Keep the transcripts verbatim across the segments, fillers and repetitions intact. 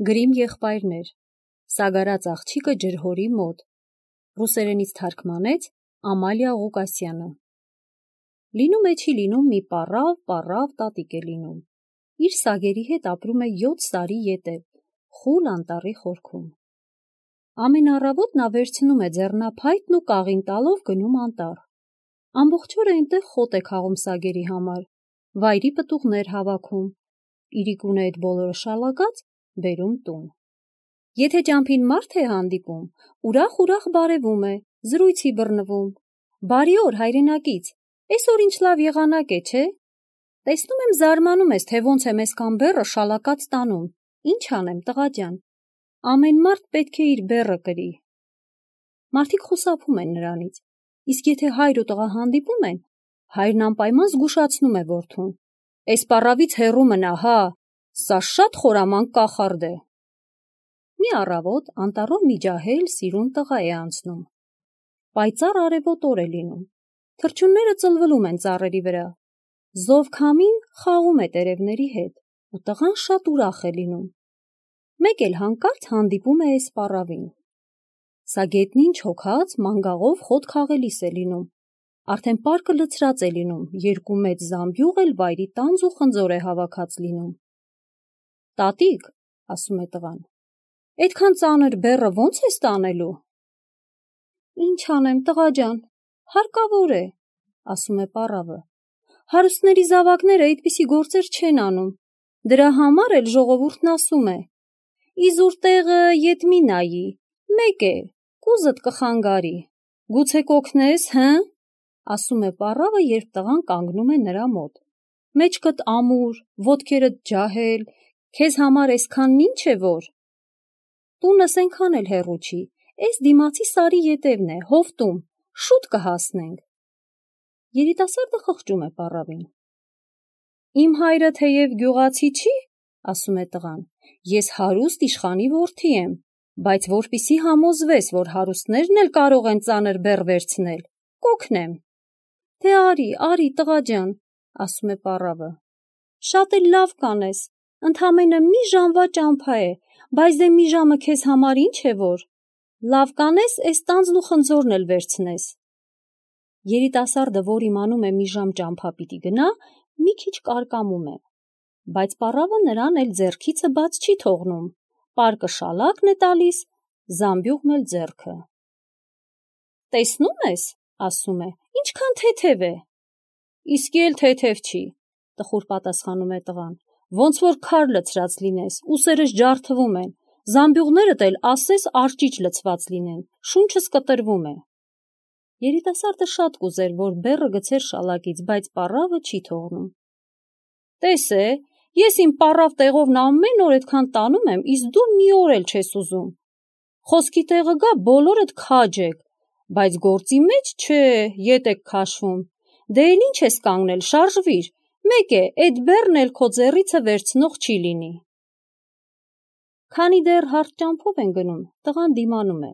Գրիմ եղբայրներ, Սագարած աղջիկը ջրհորի մոտ, ռուսերենից թարգմանեց Ամալիա Ղուկասյանը։ Լինում է չի լինում մի պառավ, պառավ տատիկ է լինում, իր սագերի հետ ապրում է յոթ սարի ետև, խուլ անտառի խորքում։ Ամեն առավոտ նա վերցնում է ձեռնափայտն ու կաղին տալով գնում անտառ, ամբողջ օրը այնտեղ խոտ է քաղում սագերի համար, վայրի պտուղներ հավաքում, իրիկունը այդ բոլորը շալակած բերում տուն։ Եթե ճամփին մարդ է հանդիպում, ուրախ-ուրախ բարևում է, զրույցի բռնվում, բարի օր հայրենակից, այսօր ինչ լավ եղանակ է, չէ՞։ Տեսնում եմ զարմանում ես, թե ոնց եմ այսքան բեռը շալակած տանում, ինչ անեմ, տղաջան, ամեն մարդ պետք է իր բեռը կրի։ Մարդիկ խուսափում են նրանից, իսկ եթե հայր ու տղա հանդիպում են, հայրն անպայման զգուշացնում է որդուն, այս պառավից հեռու մնա, հա, սա շատ խորամանկ կախարդ է։ Մի առավոտ անտառով մի ջահել սիրուն տղա է անցնում։ Պայծառ արևոտ օր է լինում, թռչունները ծլվլում են ծառերի վրա, զով քամին խաղում է տերևների հետ, ու տղան շատ ուրախ է լինում։ Մեկ էլ հանկարծ հանդիպում է այս պառավին։ Սա գետնին չոքած մանգաղով խոտ քաղելիս է լինում, արդեն պարկը լցրած է լինում, երկու մեծ զամբյուղ էլ վայրի տանձ ու խնձոր է հավաքած լինում։ Տատիկ, ասում է տղան, այդքան ծանր բեռը ո՞նց ես տանելու։ Ինչ անեմ, տղաջան, հարկավոր է, ասում է պառավը, հարուստների զավակները այդպիսի գործեր չեն անում, դրա համար էլ ժողովուրդն ասում է, իզուր տեղը ետ մի նայի, մեկ է, կուզդ կխանգարի, գուցե կօգնես, հը, ասում է պառավը, երբ տղան կանգնում է նրա մոտ, մեջքդ ամուր, ոտքերդ ջահել, քեզ համար այսքանն ինչ է որ։ Տունս այնքան էլ հեռու չի, այս դիմացի սարի ետևն է, հովտում, շուտ կհասնենք։ Երիտասարդը խղճում է պառավին։ Իմ հայրը թեև գյուղացի չի, ասում է տղան, ես հարուստ իշխանի որդի եմ, բայց որպիսի համոզվես, որ հարուստներն էլ կարող են ծանր բեռ վերցնել, կօգնեմ։ Դե արի, արի, տղաջան, ասում է պառավը, շատ էլ լավ կանես, ընդամենը մի ժամվա ճամփա է, բայց դե մի ժամը քեզ համար ինչ է որ, լավ կանես, այս տանձն ու խնձորն էլ վերցնես։ Երիտասարդը, որ իմանում է մի ժամ ճամփա պիտի գնա, մի քիչ կարկամում է, բայց պառավը նրան էլ ձեռքիցը բաց չի թողնում, պարկը շալակն է տալիս, զամբյուղն էլ ձեռքը։ Տեսնում ես, ասում է, ինչքան թեթև է։ Իսկի էլ թեթև չի, տխուր պատասխանում է տղան, ոնց որ քար լցրած լինես, ուսերս ջարդվում են, զամբյուղներդ էլ ասես արճիճ լցված լինեն, շունչս կտրվում է։ Երիտասարդը շատ կուզեր, որ բեռը գցեր շալակից, բայց պառավը չի թողնում։ Տես է, ես իմ պառավ տեղովն ամեն օր այդքան տանում եմ, իսկ դու մի օր էլ չես ուզում։ Խոսքի տեղը գա, բոլորդ քաջ եք, բայց գործի մեջ չէ, ետ եք քաշվում։ Դե էլ ինչ ես կանգնել, շարժվիր, մեկ է, այդ բեռն էլ քո ձեռիցը վերցնող չի լինի։ Քանի դեռ հարթ ճամփով են գնում, տղան դիմանում է,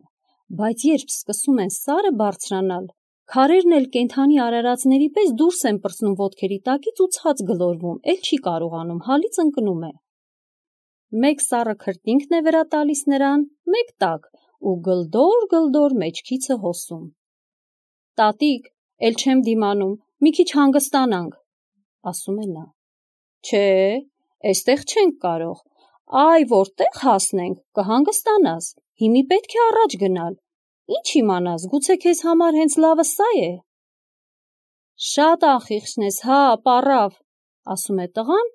բայց երբ սկսում են սարը բարձրանալ, քարերն էլ կենդանի արարածների պես դուրս են պրծնում ոտքերի տակից ու ցած գլորվում, էլ չի կարողանում, հալից ընկնում է։ Մեկ սառը քրտինքն է վրա տալիս նրան, մեկ տակ, ու գլդոր-գլդոր մեջքիցը հոսում։ Տատիկ, էլ չեմ դիմանում, մի քիչ հանգստանանք, ասում է նա։ Չէ, այստեղ չենք կարող, այ որտեղ հասնենք, կհանգստանաս, հիմի պետք է առաջ գնալ, ինչ իմանաս, գուցե քեզ համար հենց լավը սա է։ Շատ անխիղճն ես, հա, պառավ, ասում է տղան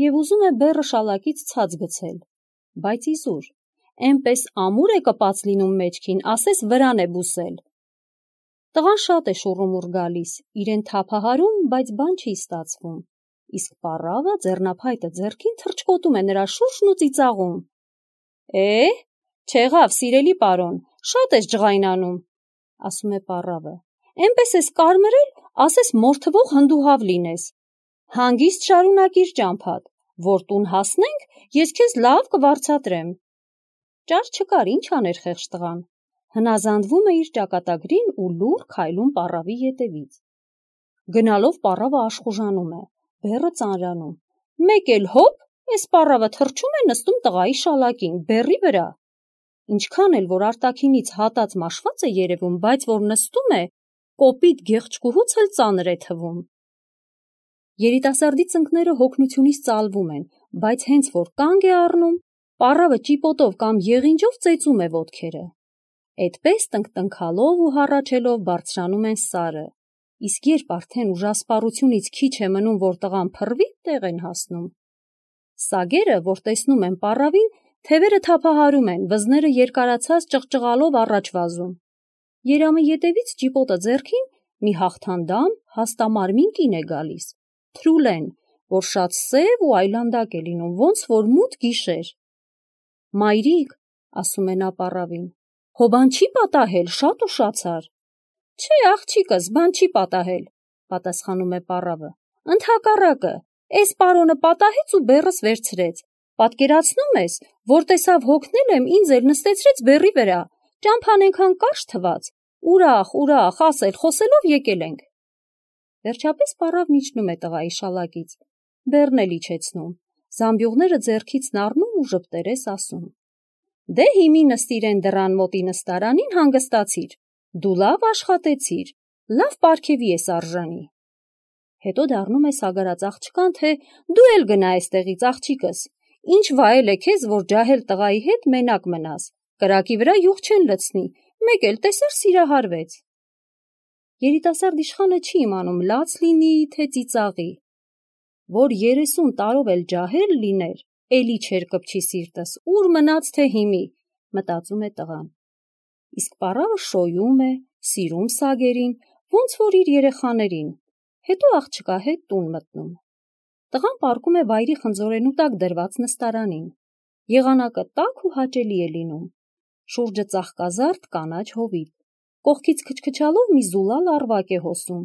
և ուզում է բեռը շալակից ցած գցել, բայց իզուր, էնպես ամուր է կպած լինում մեջքին, ասես վրան է բուսել։ Տղան շատ է շուռումուռ գալիս, իրեն թափահարում, բայց բան չի ստացվում, իսկ պառավը ձեռնափայտը ձեռքին թռչկոտում է նրա շուրջն ու ծիծաղում։ Է, չեղավ, սիրելի պարոն, շատ ես ջղայնանում, ասում է պառավը, էնպես ես կարմրել, ասես մորթվող հնդուհավ լինես։ Հանգիստ շարունակիր ճամփադ, որ տուն հասնենք, ես քեզ լավ կվարձատրեմ։ Ճար չկար, ինչ աներ խեղճ տղան, հնազանդվում է իր ճակատագրին ու լուռ քայլում պառավի ետևից։ Գնալով պառավը աշխուժանում է, բեռը ծանրանում, մեկ էլ հոպ, Էս պառավը թռչում է նստում տղայի շալակին, բեռի վրա։ Ինչքան էլ որ արտաքինից հատած մաշված է երևում, բայց որ նստում է, կոպիտ գեղչկուհուց էլ ծանր է թվում։ Երիտասարդի ծնկները հոգնությունից ծալվում են, բայց հենց որ կանգ է առնում, պառավը ճիպոտով կամ եղինջով ծեծում է ոտքերը։ Էդպես տնկտնքալով ու հառաչելով բարձրանում են սարը, իսկ երբ արդեն ուժասպառությունից քիչ է մնում, որ տղան փռվի, տեղ են հասնում։ Սագերը, որ տեսնում են պառավին, թևերը թափահարում են, վզները երկարացած ճղճղալով առաջ վազում։ Երամը ետևից ճիպոտը ձեռքին մի հաղթանդամ, հաստամարմին կին է գալիս, Թրուլեն, որ շատ սև ու այլանդակ է լինում, ոնց որ մութ գիշեր։ Մայրիկ, ասում է նա պառավին, հո բան չի պատահել, շատ ուշացար։ Չէ, աղջիկս, բան չի պատահել, պատասխանում է պառավը։ Ընդհակառակը, էս պարոնը պատահեց ու բեռս վերցրեց։ Պատկերացնում ես, որ տեսավ հոգնել եմ, ինձ էլ նստեցրեց բեռի վրա, ճամփան ենքան կարճ թված, ուրախ, ուրախ, ասել, խոսելով եկել ենք։ Վերջապես պառավն իջնում է տղայի շալակից, բեռն էլ իջեցնում, զամբյուղները ձեռքից նառնում ու ժպտերես ասում. Դե հիմի նստիրեն դռան մոտի նստարանին հանգստացիր, դու լավ աշխատեցիր, լավ պարգևի ես արժանի։ Հետո դառնում է սագարած աղջկան, թե դու էլ գնա այստեղից, աղջիկս, ինչ վայել է քեզ, որ ջահել տղայի հետ մենակ մնաս, կրակի վրա յուղ չեն լցնի, մեկ էլ տեսար սիրահարվեց։ Երիտասարդ իշխանը չի իմանում լաց լինի, թե ծիծաղի, որ երեսուն տարով էլ ջահել լիներ, էլի չեր կպչի սիրտս, ուր մնաց թե հիմի, մտածում է տղան։ Իսկ պառավը շոյում է, սիրում սագերին, ոնց որ իր երեխաներին, հետո աղջկա հետ տուն մտնում։ Տղան պառկում է վայրի խնձորենու տակ դրված նստարանին, եղանակը տաք ու հաճելի է լինում, շուրջը ծաղկազարդ կանաչ հովիտ, կողքից քչքչալով մի զուլալ առվակ է հոսում,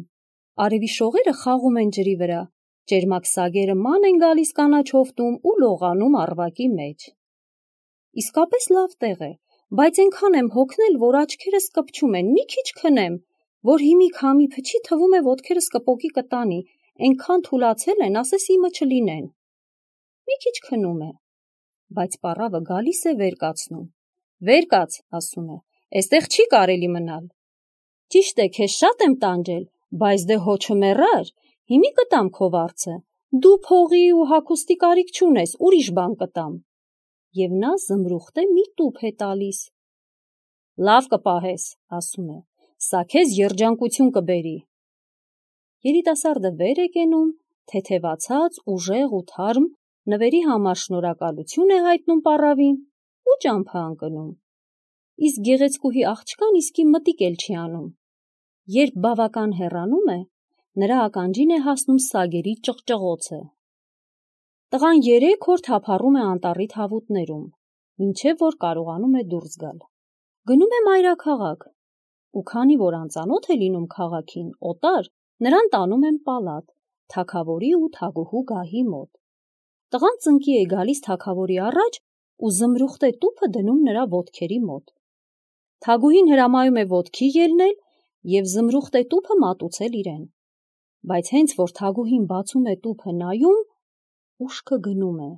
արևի շողերը խաղում են ջրի վրա, ճերմակ սագերը ման են գալիս կանաչ հովտում ու լողանում առվակի մեջ։ Իսկապես լավ տեղ է, բայց այնքան եմ հոգնել, որ աչքերս կպչում են, մի քիչ քնեմ, որ հիմի քամի փչի թվում է ոտքերս կպոկի կտանի, այնքան թուլացել են, ասես իմը չլինեն։ Մի քիչ քնում է, բայց պառավը գալիս է վեր կացնում։ Վեր կաց, ասում է, էստեղ չի կարելի մնալ։ Ճիշտ է, քեզ շատ եմ տանջել, բայց դե հո չմեռար, հիմի կտամ քո վարձը, դու փողի ու հագուստի կարիք չունես, ուրիշ բան կտամ։ Եվ նա զմրուխտե մի տուփ է տալիս։ Լավ կպահես, ասում է, սա քեզ երջանկություն կբերի։ Երիտասարդը վեր է կենում, թեթևացած, ուժեղ ու թարմ, նվերի համար շնորհակալություն է հայտնում պառավին ու ճամփա ընկնում։ Իսկ գեղեցկուհի աղջկան իսկի մտիկ էլ չի անում։ Երբ բավական հեռանում է, նրա ականջին է հասնում սագերի ճղճղոցը։ Տղան երեք օր թափառում է անտառի թավուտներում, մինչև որ կարողանում է դուրս գալ։ Գնում է մայրաքաղաք, ու քանի որ անծանոթ է լինում քաղաքին, օտար, նրան տանում են պալատ, թագավորի ու թագուհու գահի մոտ։ Տղան ծնկի է գալիս թագավորի առաջ ու զմրուխտե տուփը դնում նրա ոտքերի մոտ։ Թագուհին հրամայում է ոտքի ելնել և զմրուխտե տուփը մատուցել իրեն։ Բայց հենց որ թագուհին բացում է տուփը նայում, ուշքը գնում է։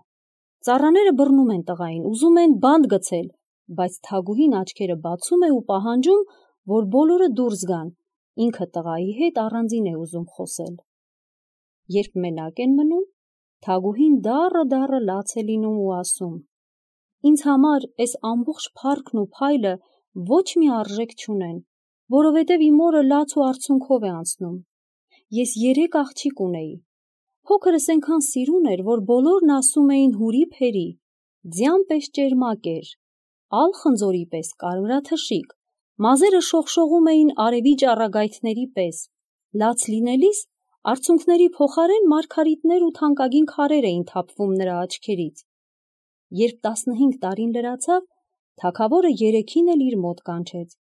Ծառաները բռնում են տղային, ուզում են բանտ գցել, բայց թագուհին աչքերը բացում է ու պահանջում, որ բոլորը դուրս գան, ինքը տղայի հետ առանձին է ուզում խոսել։ Երբ մենակ են մնում, թագուհին դառը դառը լաց է լինում ու ասում. Ինձ համար այս ամբողջ փառքն ու փայլը ոչ մի արժեք չունեն, որովհետև իմ օրը լաց ու արցունքով է անցնում։ Ես երեք աղջիկ ունեի։ Փոքրս այնքան սիրուն էր, որ բոլորն ասում էին հուրի փերի, ձյան պես ճերմակ էր, ալ խնձորի պես կարմրաթշիկ, մազերը շողշողում էին արևի ճառագայթների պես, լաց լինելիս արցունքների փոխարեն մարգարիտներ ու թանկագին քարեր էին թափվում նրա աչքերից։ Երբ տասնհինգ տարին լրացավ, թագավորը երեքին էլ իր մոտ կանչեց,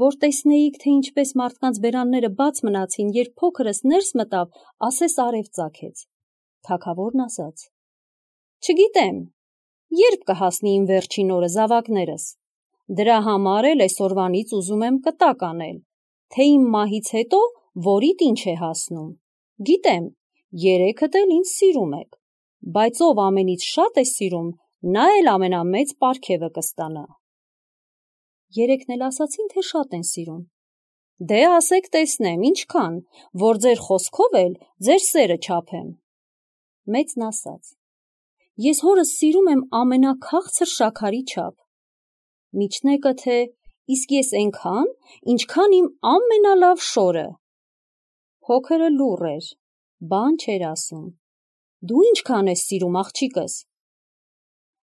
որ տեսնեիք, թե ինչպես մարդկանց բերանները բաց մնացին, երբ փոքրս ներս մտավ, ասես արև ծագեց։ Թագավորն ասաց. Չգիտեմ, երբ կհասնի իմ վերջին օրը, զավակներս, դրա համար էլ այսօրվանից ուզում եմ կտակ անել, թե իմ մահից հետո որիդ ինչ է հասնում։ Գիտեմ, երեքդ էլ ինձ սիրում եք, բայց ով ամենից շատ է սիրում, նա էլ ամենամեծ պարգևը կստանա։ Երեքն էլ ասացին, թե շատ են սիրում։ Դե ասեք տեսնեմ, ինչքան, որ ձեր խոսքով էլ ձեր սերը չափեմ։ Մեծն ասաց. Ես հորս սիրում եմ ամենաքաղցր շաքարի չափ։ Միջնեկը թե իսկ ես այնքան, ինչքան իմ ամենալավ շորը։ Փոքրը լուռ էր, բան չէր ասում։ Դու ինչքան ես սիրում աղջիկս։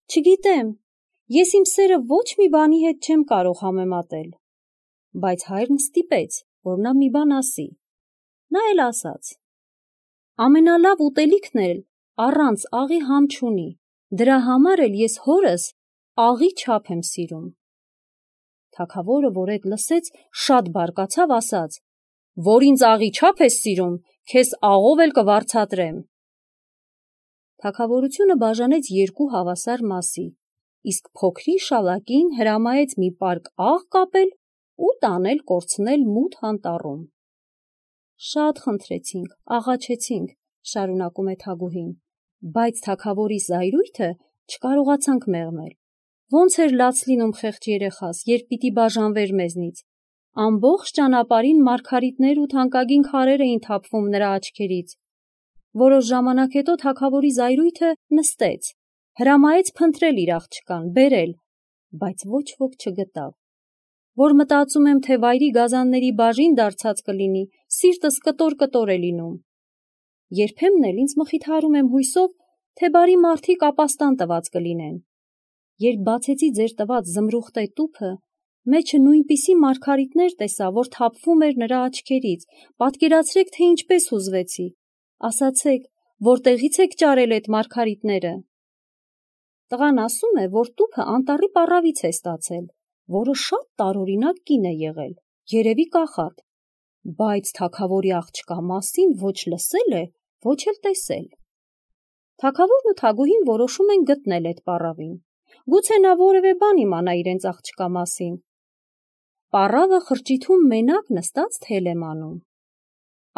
Չգիտեմ, ես իմ սերը ոչ մի բանի հետ չեմ կարող համեմատել։ Բայց հայրն ստիպեց, որ նա մի բան ասի։ Նա էլ ասաց. ամենալավ ուտելիքն էլ առանց աղի համ չունի, դրա համար էլ ես հորս աղի չափ եմ սիրում։ Թագավորը, որ էդ լսեց, շատ բարկացավ, ասաց. որ ինձ աղի չափ ես սիրում, քեզ աղով էլ կվարձատրեմ։ Թագավորությունը բաժանեց երկու հավասար մասի, իսկ փոքրի շալակին հրամայեց մի պարկ աղ կապել ու տանել կորցնել մութ անտառում։ Շատ խնդրեցինք, աղաչեցինք, շարունակում է Թագուհին, բայց թագավորի զայրույթը չկարողացանք մեղմել։ Ոնց էր լաց լինում խեղճ երեխաս, երբ պիտի բաժանվեր մեզնից։ Ամբողջ ճանապարհին մարգարիտներ ու թանկագին քարեր էին թափվում նրա աչքերից։ Որոշ ժամանակ հետո թագավորի զայրույթը նստեց, հրամայեց փնտրել իր աղջկան, բերել, բայց ոչ ոք չգտավ։ Որ մտածում եմ, թե վայրի գազանների բաժին դարձած կլինի, սիրտս կտոր-կտոր է լինում։ Երբեմն էլ ինձ մխիթարում եմ հույսով, թե բարի մարդիկ ապաստան տված կլինեն։ Երբ բացեցի ձեր տված զմրուխտե տուփը, մեջը նույնպիսի մարգարիտներ տեսա, որ թափվում էր նրա աչքերից, պատկերացրեք, թե ինչպես հուզվեցի, ասացեք, որտեղից եք ճարել այդ մարգարիտները։ Տղան ասում է, որ տուփը անտառի պառավից է ստացել, որը շատ տարօրինակ կին է եղել, երևի կախարդ, բայց թագավորի աղջկա մասին ոչ լսել է, ոչ էլ տեսել։ Թագավորն ու Թագուհին որոշում են գտնել այդ պառավին, գուցե նա որևէ բան իմանա իրենց աղջկա մասին։ Պառավը խրճիթում մենակ նստած թել է մանում։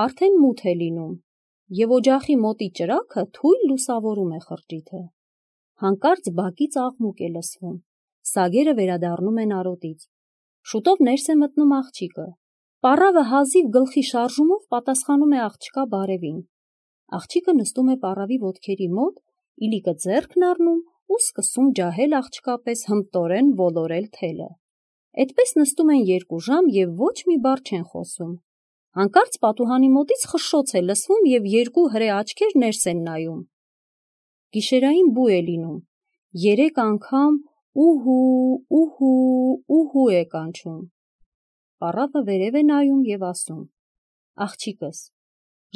Արդեն մութ է լինում, և օջախի մոտի ճրագը թույլ լուսավորում է խրճիթը։ Հանկարծ բակից աղմուկ է լսվում, սագերը վերադառնում են արոտից։ Շուտով ներս է մտնում աղջիկը։ Պառավը հազիվ գլխի շարժումով պատասխանում է աղջկա բարևին։ Աղջիկը նստում է պառավի ոտքերի մոտ, իլիկը ձեռքն առնում ու սկսում ջահել աղջկա պես հմտորեն ոլորել թելը։ Էդպես նստում են երկու ժամ և ոչ մի բառ չեն խոսում։ Հանկարծ պատուհանի մոտից խշշոց է լսվում և երկու հրե աչքեր ներս են նայում։ Գիշերային բու է լինում, երեք անգամ ուհու, ուհու, ուհու է կանչում։ Պառավը վերև է նայում և ասում. աղջիկս,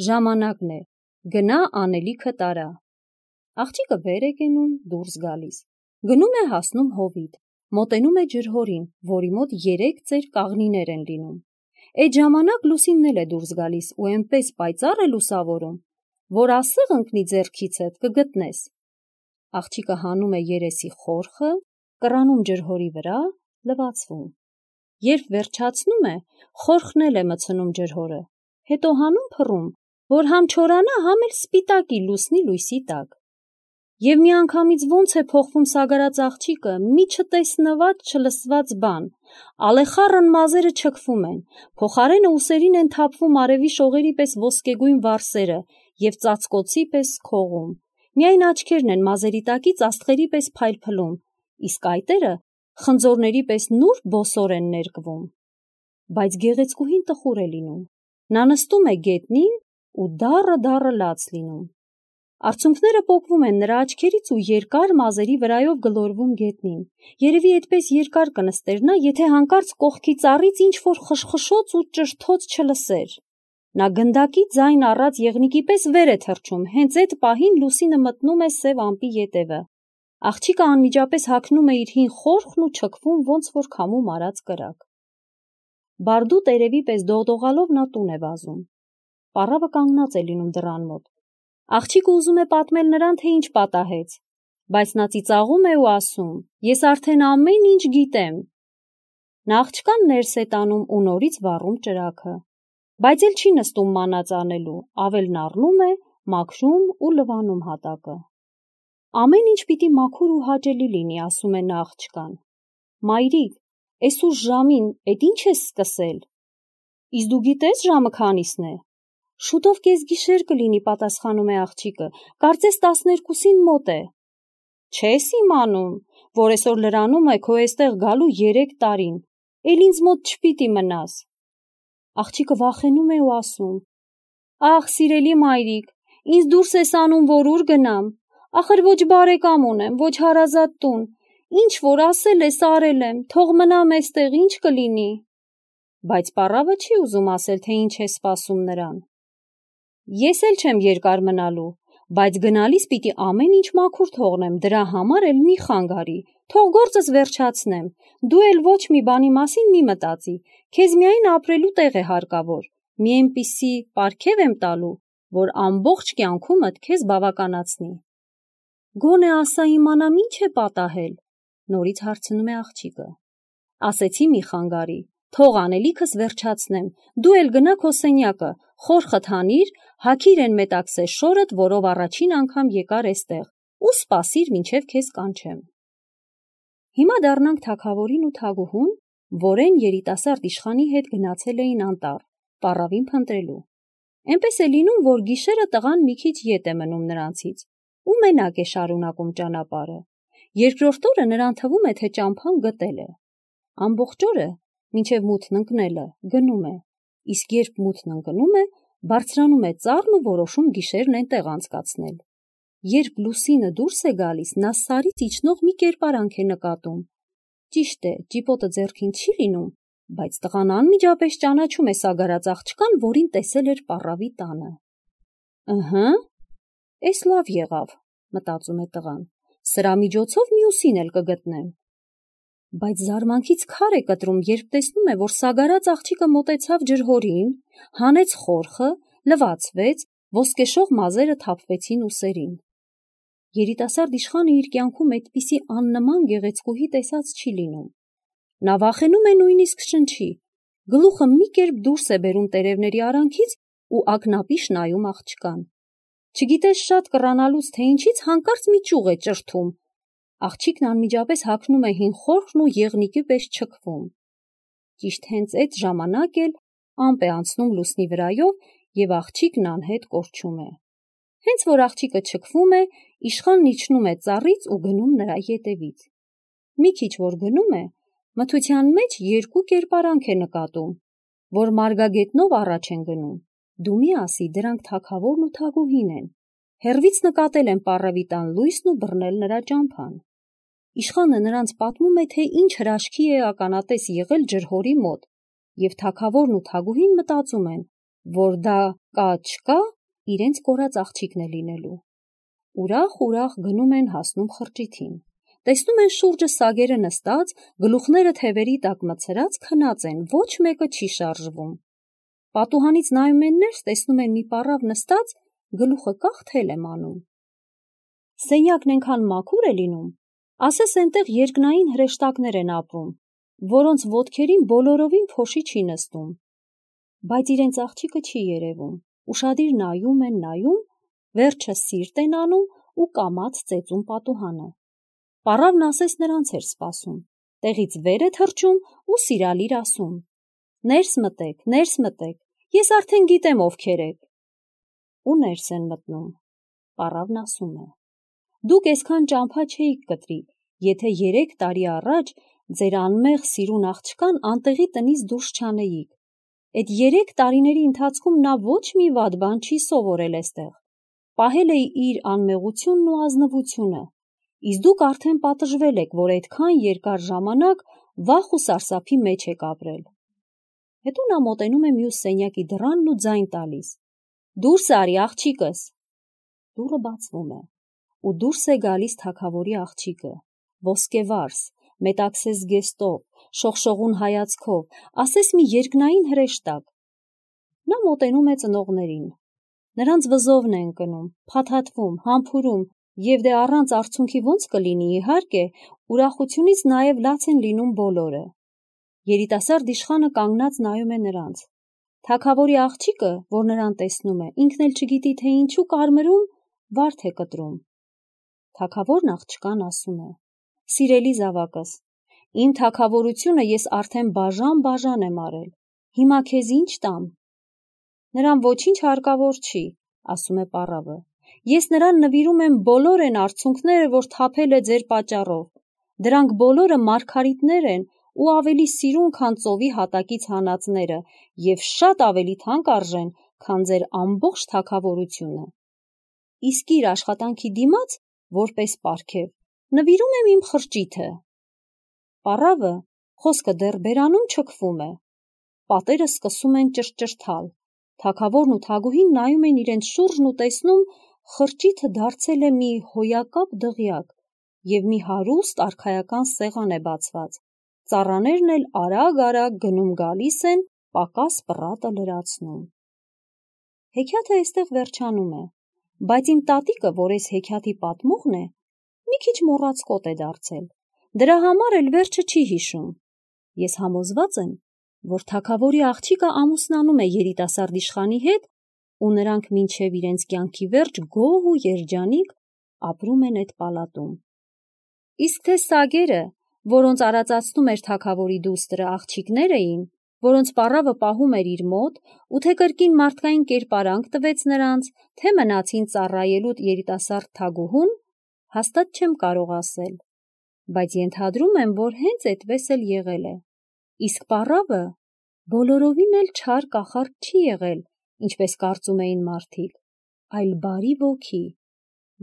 ժամանակն է, գնա անելիքը տարա։ Աղջիկը վեր է կենում, դուրս գալիս, գնում է հասնում հովիտ, մոտենում է ջրհորին, որի մոտ երեք ծեր կաղնիներ են լինում։ Այդ ժամանակ լուսինն էլ է դուրս գալիս ու այնպես պայծառ է լուսավորում, որ ասեղ ընկնի ձեռքիցդ կգտնես։ Աղջիկը հանում է երեսի խորխը, կռանում ջրհորի վրա, լվացվում։ Երբ վերջացնում է, խորխն էլ է մցնում ջրհորը, հետո հանում փռում, որ համ չորանա, համ էլ սպիտակի լուսնի լույսի տակ։ Եվ միանգամից ոնց է փոխվում սագարած աղջիկը, մի չտեսնված, չլսված բան, ալեխառն մազերը չքվում են, փոխարենը ուսերին են թափվում արևի շողերի պես ոսկեգույն վարսերը և ծածկոցի պես քողում, միայն աչքերն են մազերի տակից աստղերի պես փայլփլում, իսկ այտերը խնձորների պես նուրբ բոսոր են ներկվում։ Բայց գեղեցկուհին տխուր է լինում, նա նստում է գետնին ու դառը-դառը լաց լինում։ Արցունքները պոկվում են նրա աչքերից ու երկար մազերի վրայով գլորվում գետնին։ Երևի այդպես երկար կնստեր նա, եթե հանկարծ կողքի ծառից ինչ-որ խշխշոց ու ճրթոց չլսեր։ Նա գնդակի ձայն առած եղնիկի պես վեր է թռչում, հենց այդ պահին լուսինը մտնում է սև ամպի ետևը։ Աղջիկը անմիջապես հագնում է իր հին խորխն ու չքվում ոնց որ քամու մարած կրակ։ Բարդու տերևի պես դողդողալով նա տուն է վազում։ Պառավը կանգնած է լինում դռան մոտ։ Աղջիկը ուզում է պատմել նրան, թե ինչ պատահեց, բայց նա ծիծաղում է ու ասում. ես արդեն ամեն ինչ գիտեմ։ Նա աղջկան ներս է տանում ու նորից վառում ճրագը, բայց էլ չի նստում մանած անելու, ավելն առնում է, մաքրում ու լվանում հատակը։ Ամեն ինչ պիտի մաքուր ու հաճելի լինի, ասում է նա աղջկան։ Մայրիկ, էս ուշ ժամին էդ ինչ ես սկսել։ Իսկ դու գիտես ժամը քանիսն է։ Շուտով կեսգիշեր կլինի, պատասխանում է աղջիկը, կարծես տասներկուսին մոտ է։ Չես իմանում, որ այսօր լրանում է քո էստեղ գալու երեք տարին, էլ ինձ մոտ չպիտի մնաս։ Աղջիկը վախենում է ու ասում. Ախ, սիրելի մայրիկ, ինձ դուրս ես անում, որ ուր գնամ, ախր ոչ բարեկամ ունեմ, ոչ հարազատ տուն, ինչ որ ասել ես արել եմ, թող մնամ էստեղ, ինչ կլինի։ Բայց պառավը չի ուզում ասել, թե ինչ է սպասում նրան։ Ես էլ չեմ երկար մնալու, բայց գնալիս պիտի ամեն ինչ մաքուր թողնեմ, դրա համար էլ մի խանգարի, թող գործս վերջացնեմ, դու էլ ոչ մի բանի մասին մի մտածի, քեզ միայն ապրելու տեղ է հարկավոր, մի այնպիսի պարգև եմ տալու, որ ամբողջ կյանքումդ քեզ բավականացնի։ Գոնե ասա իմանամ ինչ է պատահել, նորից հարցնում է աղջիկը։ Ասեցի մի խանգարի, թող անելիքս վերջացնեմ, դու էլ գնա քո սենյակը, խոր խթանիր, հագիր են մետաքսե շորդ, որով առաջին անգամ եկար էստեղ, ու սպասիր մինչև քեզ կանչեմ։ Հիմա դառնանք թագավորին ու թագուհուն, որեն երիտասարդ իշխանի հետ գնացել էին անտառ, պառավին փնտրելու։ Էնպես է լինում, որ գիշերը տղան մի քիչ ետ է մնում նրանցից, ու մենակ է շարունակում ճանապարհը։ Երկրորդ օրը նրան թվում է, թե ճամփան գտել է։ Ամբողջ օրը, մինչև մութն ընկնելը, գնում է, իսկ երբ մութն ընկնում է, բարձրանում է ծառն ու որոշում գիշերն այնտեղ անցկացնել։ Երբ լուսինը դուրս է գալիս, նա սարից իջնող մի կերպարանք է նկատում։ Ճիշտ է, ճիպոտը ձեռքին չի լինում, բայց տղան անմիջապես ճանաչում է սագարած աղջկան, որին տեսել էր պառավի տանը։ Ըհը, էս լավ եղավ, մտածում է տղան, սրա միջոցով մյուսին էլ կգտնեմ։ Բայց զարմանքից քար է կտրում, երբ տեսնում է, որ սագարած աղջիկը մոտեցավ ջրհորին, հանեց խորխը, լվացվեց, ոսկեշող մազերը թափվեցին ուսերին։ Երիտասարդ իշխանը իր կյանքում այդպիսի աննման գեղեցկուհի տեսած չի լինում։ Նա վախենում է նույնիսկ շնչի, գլուխը մի կերպ դուրս է բերում տերևների արանքից ու ակնապիշ նայում աղջկան։ Չգիտես շատ կռանալուց, թե ինչից հանկարծ մի ճյուղ է ճրթում։ Աղջիկն անմիջապես հագնում է հին խորխն ու եղնիկի պես չքվում։ Ճիշտ հենց այդ ժամանակ էլ ամպ է անցնում լուսնի վրայով և աղջիկն անհետ կորչում է։ Հենց որ աղջիկը չքվում է, իշխանն իջնում է ծառից ու գնում նրա ետևից։ Մի քիչ որ գնում է, մթության մեջ երկու կերպարանք է նկատում, որ մարգագետնով առաջ են գնում։ Դու մի ասի, դրանք թագավորն ու թագուհին են։ Հեռվից նկատել են պառավի տան լույսն ու բռնել նրա ճամփան։ Իշխանը նրանց պատմում է, թե ինչ հրաշքի է ականատես եղել ջրհորի մոտ, և թագավորն ու թագուհին մտածում են, որ դա կա-չկա իրենց կորած աղջիկն է լինելու։ Ուրախ-ուրախ գնում են, հասնում խրճիթին։ Տեսնում են շուրջը սագերը նստած, գլուխները թևերի տակ մտցրած քնած են, ոչ մեկը չի շարժվում։ Պատուհանից նայում են ներս, տեսնում են մի պառավ նստած, գլուխը կախ թել է մանում։ Սենյակն այնքան մաքուր է լինում, ասես այնտեղ երկնային հրեշտակներ են ապրում, որոնց ոտքերին բոլորովին փոշի չի նստում։ Բայց իրենց աղջիկը չի երևում, ուշադիր նայում են, նայում, վերջը սիրտ են անում ու կամաց ծեծում պատուհանը։ Պառավն ասես նրանց էր սպասում, տեղից վեր է թռչում ու սիրալիր ասում. «Ներս մտեք, ներս մտեք, ես արդեն գիտեմ ովքեր եք»։ Ու ներս են մտնում։ Պառավն ասում է. «Դուք այսքան ճամփա չէիք կտրի, եթե երեք տարի առաջ ձեր անմեղ սիրուն աղջկան անտեղի տնից դուրս չանեիք։ Այդ երեք տարիների ընթացքում նա ոչ մի վատ բան չի սովորել էստեղ։ Պահել է իր անմեղությունն ու ազնվությունը, իսկ դուք արդեն պատժվել եք, որ այդքան երկար ժամանակ վախ ու սարսափի մեջ եք ապրել»։ Հետո նա մոտենում է մյուս սենյակի դռանն ու ձայն տալիս. «Դուրս արի, աղջիկս»։ Դուռը բացվում է, ու դուրս է գալիս թագավորի աղջիկը, ոսկեվարս, մետաքսե զգեստով, շողշողուն հայացքով, ասես մի երկնային հրեշտակ։ Նա մոտենում է ծնողներին։ Նրանց վզովն է ընկնում, փաթաթվում, համբուրում, և դե առանց արցունքի ոնց կլինի, իհարկե, ուրախությունից նաև լաց են լինում բոլորը։ Երիտասարդ իշխանը կանգնած նայում է նրանց։ Թագավորի աղջիկը, որ նրան տեսնում է, ինքն էլ չգիտի, թե ինչու կարմրում, վարդ է կտրում։ Թագավորն աղջկան ասում է. «Սիրելի զավակս, իմ թագավորությունը ես արդեն բաժան-բաժան եմ արել, հիմա քեզ ինչ տամ»։ «Նրան ոչինչ հարկավոր չի», ասում է պառավը, «ես նրան նվիրում եմ բոլոր այն արցունքները, որ թափել է ձեր պատճառով, դրանք բոլորը մարգարիտներ են ու ավելի սիրուն, քան ծովի հատակից հանածները և շատ ավելի թանկ արժեն, քան ձեր ամբողջ թագավորությունը։ Իսկ իր աշխատանքի դիմաց, որպես պարգև, նվիրում եմ իմ խրճիթը»։ Պառավը, խոսքը դեռ բերանում չքվում է, պատերը սկսում են ճշճրթալ, թագավորն ու թագուհին նայում են իրենց շուրջն ու տեսնում խրճիթը դարձել է մի հոյակապ դղյակ և մի հարուստ արքայական սեղան է բացված, ծառաներն էլ արագ-արագ գնում-գալիս են, պակաս պռատը լրացնում։ Հեքիաթը այստեղ վերջանում է, բայց իմ տատիկը, որ այս հեքիաթի պատմողն է, մի քիչ մոռացկոտ է դարձել, դրա համար էլ վերջը չի հիշում։ Ես համոզված եմ, որ թագավորի աղջիկը ամուսնանում է երիտասարդ իշխանի հետ ու նրանք մինչև իրենց կյանքի վերջ գոհ ու երջանիկ ապրում են այդ պալատում։ Իսկ թե սագերը, որոնց արածացնում էր թագավորի դուստրը, աղջիկներ էին, որոնց պառավը պահում էր իր մոտ, ու թե կրկին մարդկային կերպարանք տվեց նրանց, թե մնացին ծառայելու երիտասարդ թագուհուն, հաստատ չեմ կարող ասել, բայց ենթադրում եմ, որ հենց այդպես էլ եղել է։ Իսկ պառավը բոլորովին էլ չար կախարդ չի եղել, ինչպես կարծում էին մարդիկ, այլ բարի ոգի,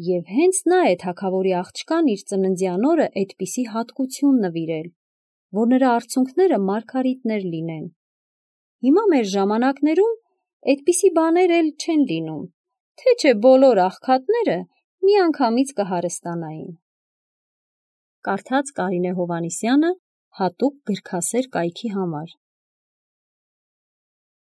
և հենց նա է թագավորի աղջկան իր ծննդյան օրը այդպիսի հատկություն նվիրել, որ նրա արցունքները մարգարիտներ լինեն։ Հիմա մեր ժամանակներում այդպիսի բաներ էլ չեն լինում, թե չէ բոլոր աղքատները միանգամից կհարստանային։ Կարդաց Կարինե Հովհաննիսյանը հատուկ գրքասեր կայքի համար։